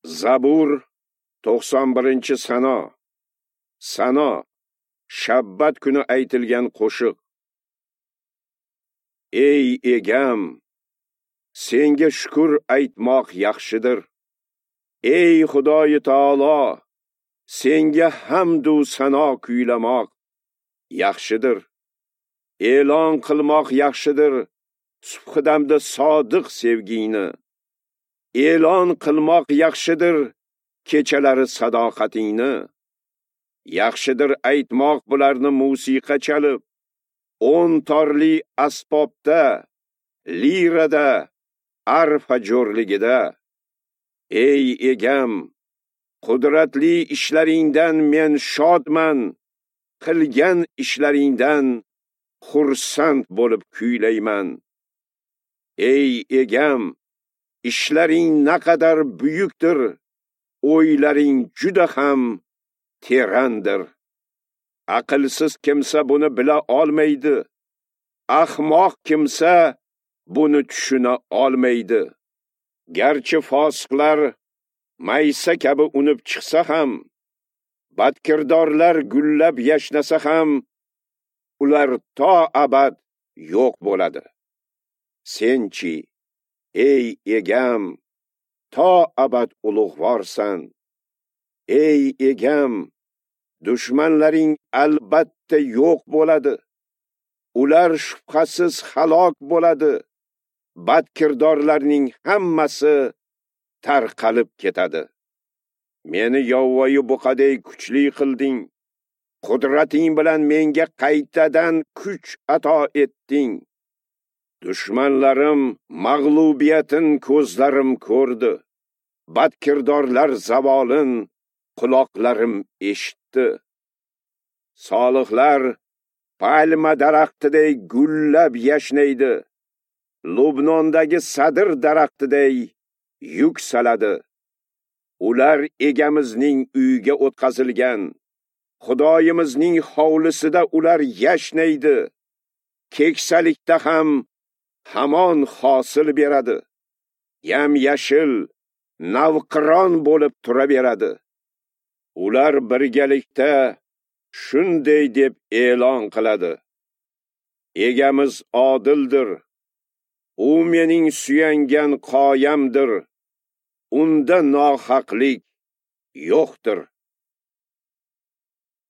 Zabur 91-sano. Sano, shabbat kuni aytilgan qo'shiq. Ey egam, senga shukr aytmoq yaxshidir. Ey Xudoyi taolo, senga hamd u sano kuylamoq yaxshidir. E'lon qilmoq yaxshidir subhidamda sodiq sevgingni. E'lon qilmoq yaxshidir kechalari sadoqatingni. Yaxshidir aytmoq bularni musiqa chalib, 10 torli asbobda, lirada, arfa jo'rligida. Ey egam, qudratli ishlaringdan men shodman, qilgan ishlaringdan xursand bo'lib kuylayman. Ey egam, ishlaring naqadar buyukdir, o'ylaring juda ham terandir. Aqlsiz kimsa buni bila olmaydi, ahmoq kimsa buni tushuna olmaydi. Garchi fosiqlar maysa kabi unib chiqsa ham, badkirdorlar gullab yashnasa ham, ular to abad yo'q bo'ladi. Senchi, ey egam, to abad ulug'vorsan. Ey egam, dushmanlaring albatta yo'q bo'ladi. Ular shubhasiz halok bo'ladi. Badkirdorlarning hammasi tarqalib ketadi. Meni yovvoyi buqaday kuchli qilding. Qudrating bilan menga qaytadan kuch ato etding. Dushmanlarim mag'lubiyatin ko'zlarim ko'rdi. Badkirdorlar zavolin quloqlarim eshitdi. Solihlar palma daraxtiday gullab yashnaydi. Lubnondagi sadir daraxtiday yuksaladi. Ular egamizning uyiga o'tkazilgan, Xudoyimizning hovlisida ular yashnaydi. Keksalikda ham hamon hosil beradi. Yam-yashil, navqiron bo'lib turaveradi. Ular birgalikda shunday deb e'lon qiladi: Egamiz odildir. U mening suyangan qoyamdir. Unda nohaqlik yo'qdir.